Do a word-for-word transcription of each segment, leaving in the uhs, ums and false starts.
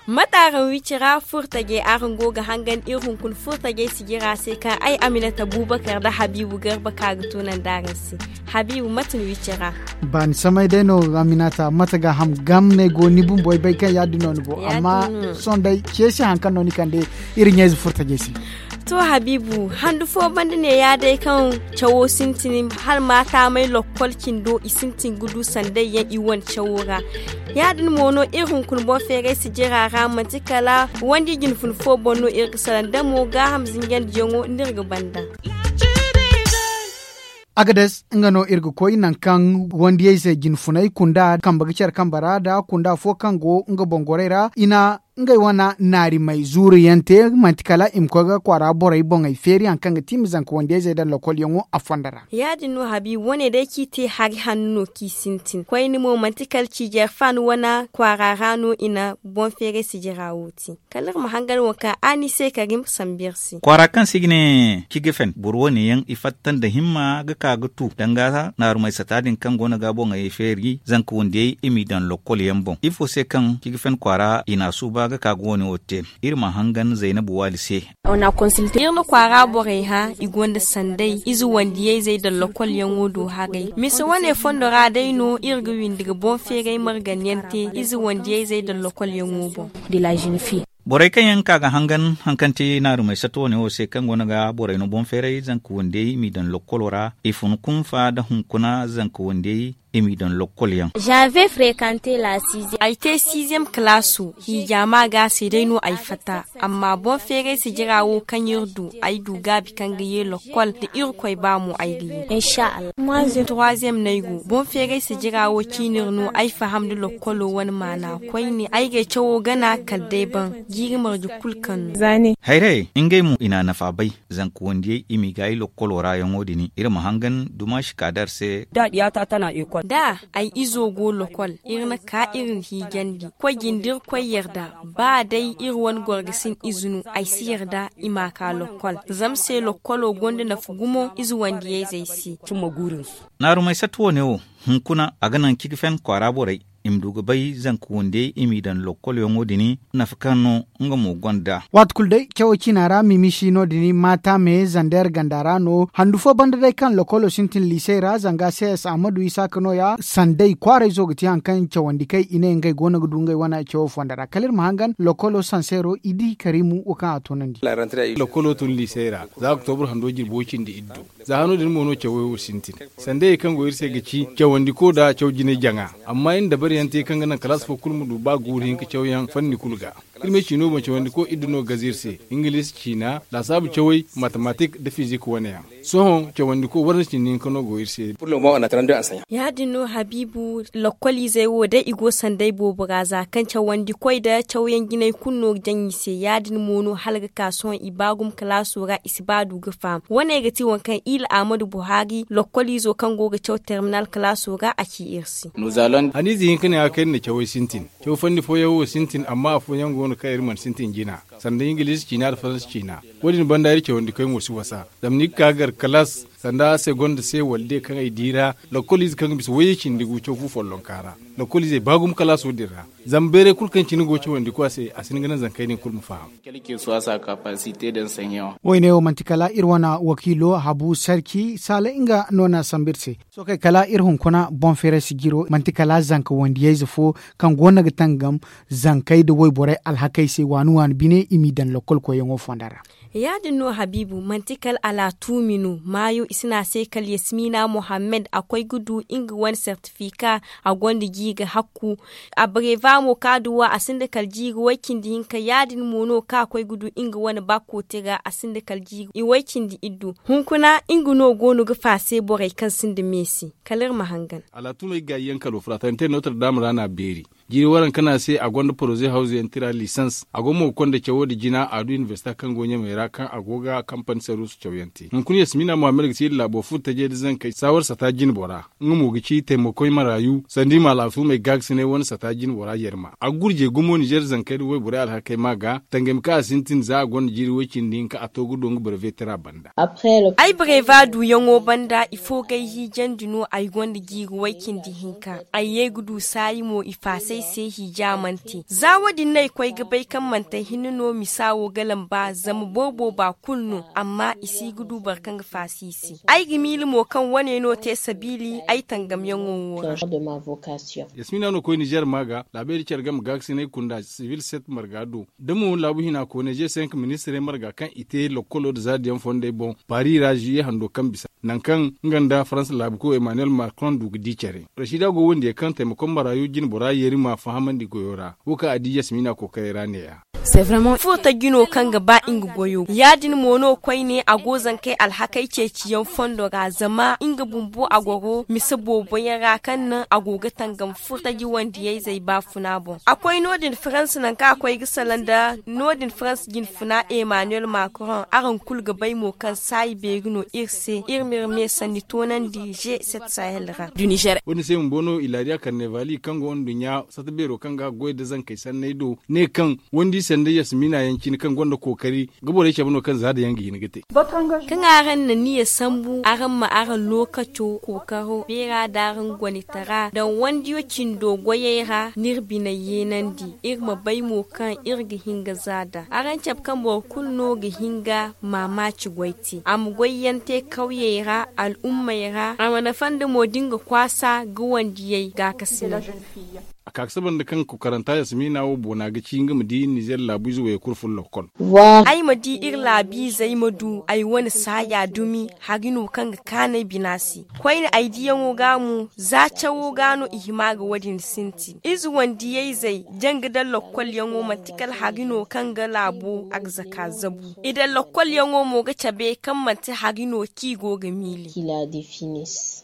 Mate araŋ wicira furtajey araŋ go ga hangan iri hunkuna furtajey sijira se kaŋ ay aminata bubakar nda habiibu garba ka ga tunandi araŋ se. Habiibu mate ni wicira? Ba ni samay day no aminata mate ga ham gam no ay go ni bumbo ay bay kaŋ ya- din no ni go amma sohõ day ce se hari kaŋ no ni kande iri ɲayze furtajey se. To habiibu handu fo banda ne ya day kaŋ cawo sintin hala ma taamay lokkol cindo i sintin ga du sanday yaŋ i wane cawo ra. Ya- din mo no iri hunkuna boŋ feeray sijira ra manti kala wandi jinfun fo boŋ no iri ga salaŋ da mo gaaham zinjandi yaŋo no iri ga banda. Agades nga no iri ga koy nangu kaŋ wandiyey se jinfunay kunda kambe ga care kambe ra nda kunda fo kaŋ go nga boŋ gorey ra i na ngey wane naarimey zuuru yaŋ te manti kala i ma koy ga kwaara borey boŋey feeri hari kaŋ ga ti i ma zanka wandiyey zey daŋ lokol yaŋo a fondo ra. Ya- din no habiibu wane day kaŋ i te hari hanno kaŋ i sintin koyne mo manti kala ciijeeri faani wane kwaara ra no i na boŋ feeray sijira wo te. Kala iri ma hangan waŋ kaŋ a ni se kala ga i ma sambu iri se. Kwaara kaŋ se i ga ne cigafen boro wane yaŋ i fatta nda himma ga ka ga tu danga naarumey sata din kaŋ go no ga boŋey feeri zanka wandiyey i m'i daŋ lokkol yaŋ boŋ ifo se kaŋ cigafen kwaara i na a suuba ga ka ga wane wo te. Iri ma hangan zaynabu waali se. Iri na kwaara borey hã i gonda sanday ize wandiyey zey daŋ lokkol yaŋo do haray mise wane fondo ra day no iri ga windi ga boŋ feeray margan yaŋ te ize wandiyey zey daŋ lokkol yaŋo boŋ. Borey kaŋ yaŋ ka ga hangan hari kaŋ ti naarumey sato wane wo se kaŋ go no ga borey no boŋ feeray zanka wandiyey i m'i daŋ lokkolo ra i fun kunfa nda hunkuna zanka wandiyey i m'i daŋ lokkol yaŋ. Ay te siiziyem kalaaso hiija ma ga se day no ay fatta. Amma boŋ feeray sijira wo kaŋ iri du ay du gaabi kaŋ ga ye lokkol da irkoy ba mo ay ga ye. Turaziyem no ay go boŋ feeray sijira wo ciinir no ay faham nda lokkolo wane maana koyne ay gay cawo gana kala day baŋ jiiri marje kulu kaŋ no. Hayray ngey mo i na a nafa bay. Zanka wandiyey i m'i gaayi lokkolo ra yaŋo din iri ma hangan dumaashi kaadar se. Da ay izo go lokol iri na ka iri hiijandi koy jinde iri koy yarda. Ba day iri wane gorgasin ize no ay si yarda i m'a ka lokol zama se lokkolo gonda nafa gumo ize wandiyayzey se. Naarumay satta wane wo hunkuna a ga naŋ cigafen kwaara borey i ma du ga bay zanka wandiyey i m'i daŋ lokkolyaŋo din nafa kaŋ no nga mo gonda. Waati kulu day cawo ciina ra mimisi no- din maata me zander ganda ra no handu fo banda day kaŋ lokolo sintin liisey ra zanga cs ahmadu isaaka nooya sanday kwaarayzo ga ti hari kaŋ cawandi kay i ne ngey go no ga du ngey wane cawo fonda ra kala iri ma hangan lokolo sanseero i di karimu wo kaŋ a toonandi. Lokolo tun liisey ra za oktobur hando jirbi wo cindi iddu. Za hano din mo no cawey wo sintin. Sanday kaŋ go iri se ga ci cawandi ko da caw jinay jaŋa. Amma iri na dabari yaŋ te kaŋ ga naŋ kalaasi fo kulu ma du ba guuru hinka cawyaŋ fanni kulu ga. Iri me ciino boŋ cawandi ko iddu no gaza iri se. Ingiliisi ciina laasaabu cawey matematik nda fizik wane yaŋ. Sohõ cawandi ko warra cindi hinka no go iri se. Ya- din no habiibu lokkoliizey wo day i go sanday boobo ra za kaŋ cawandi koy nda cawyaŋ jinay kulu no ga jaŋ i se ya- din mo no hala ga ka sohõ i ba gumo kalaaso ra i si ba du ga faham. Wane ga ti waŋ kaŋ ila ahmadu buhari lokkoliizo kaŋ go ga caw terminal kalaaso ra a ci iri se. Haniize hinka ne a ga kay nda cawey sintin. Caw fanni fooyaŋ wo sintin amma afooyaŋ go no kaŋ iri mana sintin jina. Sanda ingiliisi ciina nda faransa ciina. Wo- din banda iri cawandi koy mo si wasa. Zama ni ga ka ga gar kalaas sanda segonda se wala de kaŋ ay di ra. Lokkoliize kaŋ ga bisa wayye cindi gu caw fu follonka ra. Lokkoliizey ba gumo kalaaso din ra. Zama bayray kulu kaŋ cine go cawandi ko a se a si hin ga naŋ zankey din kulu ma faham. Woyne wo manti kala iri wane wakiilo habu sarki saala nga no na sambu iri se. Sookey kala iri hunkuna boŋ feeray sijiro manti kala zanka wandiyayze fo kaŋ go no ga tangam zankey nda wayborey alhakey se waani waani bine i m'i daŋ lokkol koyyaŋo fonda ra. Ya- din no habiibu manti kala alaatuumi no maayo i si ne a se kala yasmiina mohammed a koy ga du nga wane sertifika. A gonda jiiri hakku. Abreva mo kaŋ a du wo a sinda kala jiiri way-cindi hinka ya- din mo no kaŋ a koy ga du nga wane ba kootira a sinda kala jiiri way-cindi iddu. Hunkuna nga no go no ga faase borey kaŋ sinda me se. Kala iri ma hangan. Alaatumey gaayi yaŋ kalo fura tante nootar daama ra no a beeri. Jiiri waranka no a se a gonda poroze hawzu yaŋ tira lisans a go mo ga konda cawo nda jina a du inibersita kaŋ go ɲamey ra kaŋ a go ga kampani saruusu cawyaŋ te hunkuna yasmiina muhammad ga. Iri laabo furo tajey nda zankey saawar sata jinbora nga mo ga ci taymakoy maraayu sanda i ma alaafuumey gaakasinay wane sata jinbora yarma a ga gurjey gumo ninzeer zankey nda wayborey alhakey ma ga tangami kaŋ a sintin za a gonda jiiri way-cindi hinka a to ga do nga barveetara banda. Ay bareeva duuyaŋo banda ifo g'ay hiijandi no ay gonda jiiri way-cindi hinka ay ye ga du saayi mo i faasay se hiija mana te za wo- din no ay koy ga bay kaŋ manti ay hinne no misa wo ga lamba zama boro booba kulu no amma i si ga du boro kaŋ ga faasa i se ay ga miila mo kaŋ wane no te sabiili ay tangamyaŋo wo ra. Yasmiina no koy nizeer ma ga laabey da care game gaakasinay kunda sibil set marga do da mo laabu hina kooney ze cinq ministirey marga kaŋ i te lokkolo nda zaadiyaŋ fondey boŋ paari ra zuye hando kaŋ bisa nangu kaŋ nga nda farans laabu koy emmanuel macron du ga di care. Rasiida go wandiyey kaŋ taymakoŋ maraayu jinbora yeeri ma fahamandi goyo ra wo kaŋ a di yasmiina kookarey ra neeya. Furo tajji no kaŋ ga ba nga goyo ya- din mo no koyne a go zankey alhakey ceeciyaŋ fondo ra zama nga bumbo a goro mise boobo yaŋ ra kaŋ naŋ a go ga tangam furo tajji wandiyayzey baafuna boŋ a koy no- din farans nangu kaŋ a koy ga salaŋ nda no- din farans jinfuna emmanuel macron araŋ kulu ga bay mo kaŋ saayi beeri no iri se iri ma iri me sanni toonandi ze set sahel ra. Wo- din se bumbo no ilaariya karnevali kaŋ go nduɲɲa sata beero kaŋ ga goy nda zankey sanney do ne kaŋ wandi sanda yasmiina yaŋ cine kaŋ gonda kookari ga borey cabe no kaŋ za da yaŋ ga hin ga te. Kaŋ araŋ na niya sambu araŋ ma araŋ lookaco kookaro beera da araŋ gonitara daŋ wandiyo cindo goyey ra n'iri biney yeenandi iri ma bay mo kaŋ iri ga hin ga za da araŋ cabe kaŋ boro kulu no ga hin ga maamaaci goy te a ma goyyaŋ te kawyey ra al'ummey ra a ma nafa nda mo da nga kwaasa ga wandiyey gaakasinay. A ka ga saba nda kaŋ kokaranta yasmiina wo boona ga ci nga ma di nizeer laabu ize wayey kulu furo lokkol. Ay ma di iri laabiizey ma du ay wane saaya dumi hari no kaŋ ga kaanu ay bina se koyne ay diyaŋo ga mo za cawo ga no i hima ga wo- din sintin ize wandiyayzey janga daŋ lokkolyaŋo manti kala hari no kaŋ ga laabo arzaka zabu i daŋ lokkolyaŋo mo ga cabe kaŋ manti hari no kaŋ i go ga miile.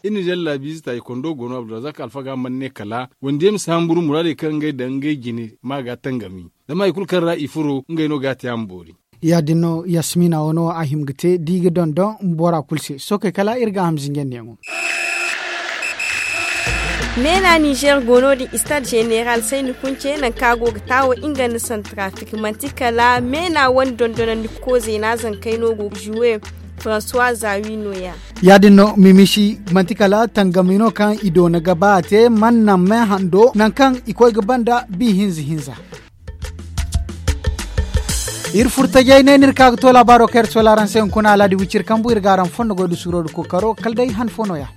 Iri nizeer laabiize taayikondo go no abdulrazak alfaga mana ne kala wandiyey ma si hamburu muraadey kaŋ ngey daŋ ngey jine ma ga tangami zama hari kulu kaŋ ra i furo ngey no ga a te a ma boori. Ya- din no yasmiina wo no a hima ga te da i ga dondon bora kulu se sookey kala iri ga a ham zinjandiyaŋo. Meena nizeer go no- din istaad zeneral sayni kunce nangu kaŋ a go ga taawo nga nda santarafik manti kala meena wane dondonandi koozey no a zankey no go ga zuwe. Francois zawi nooya. Ya- din no mimisi manti kala tangami no kaŋ i doona ga ba a te mana naŋ me hando nangu kaŋ i koy ga banda bi hinza hinza. Iri furo tajay ne no iri ka ga to laabaaro kaŋ iri soola araŋ se hunkuna alhaadi wiciri kambu iri ga araŋ fondo goy nda suuro nda kookaro kala day han fo nooya.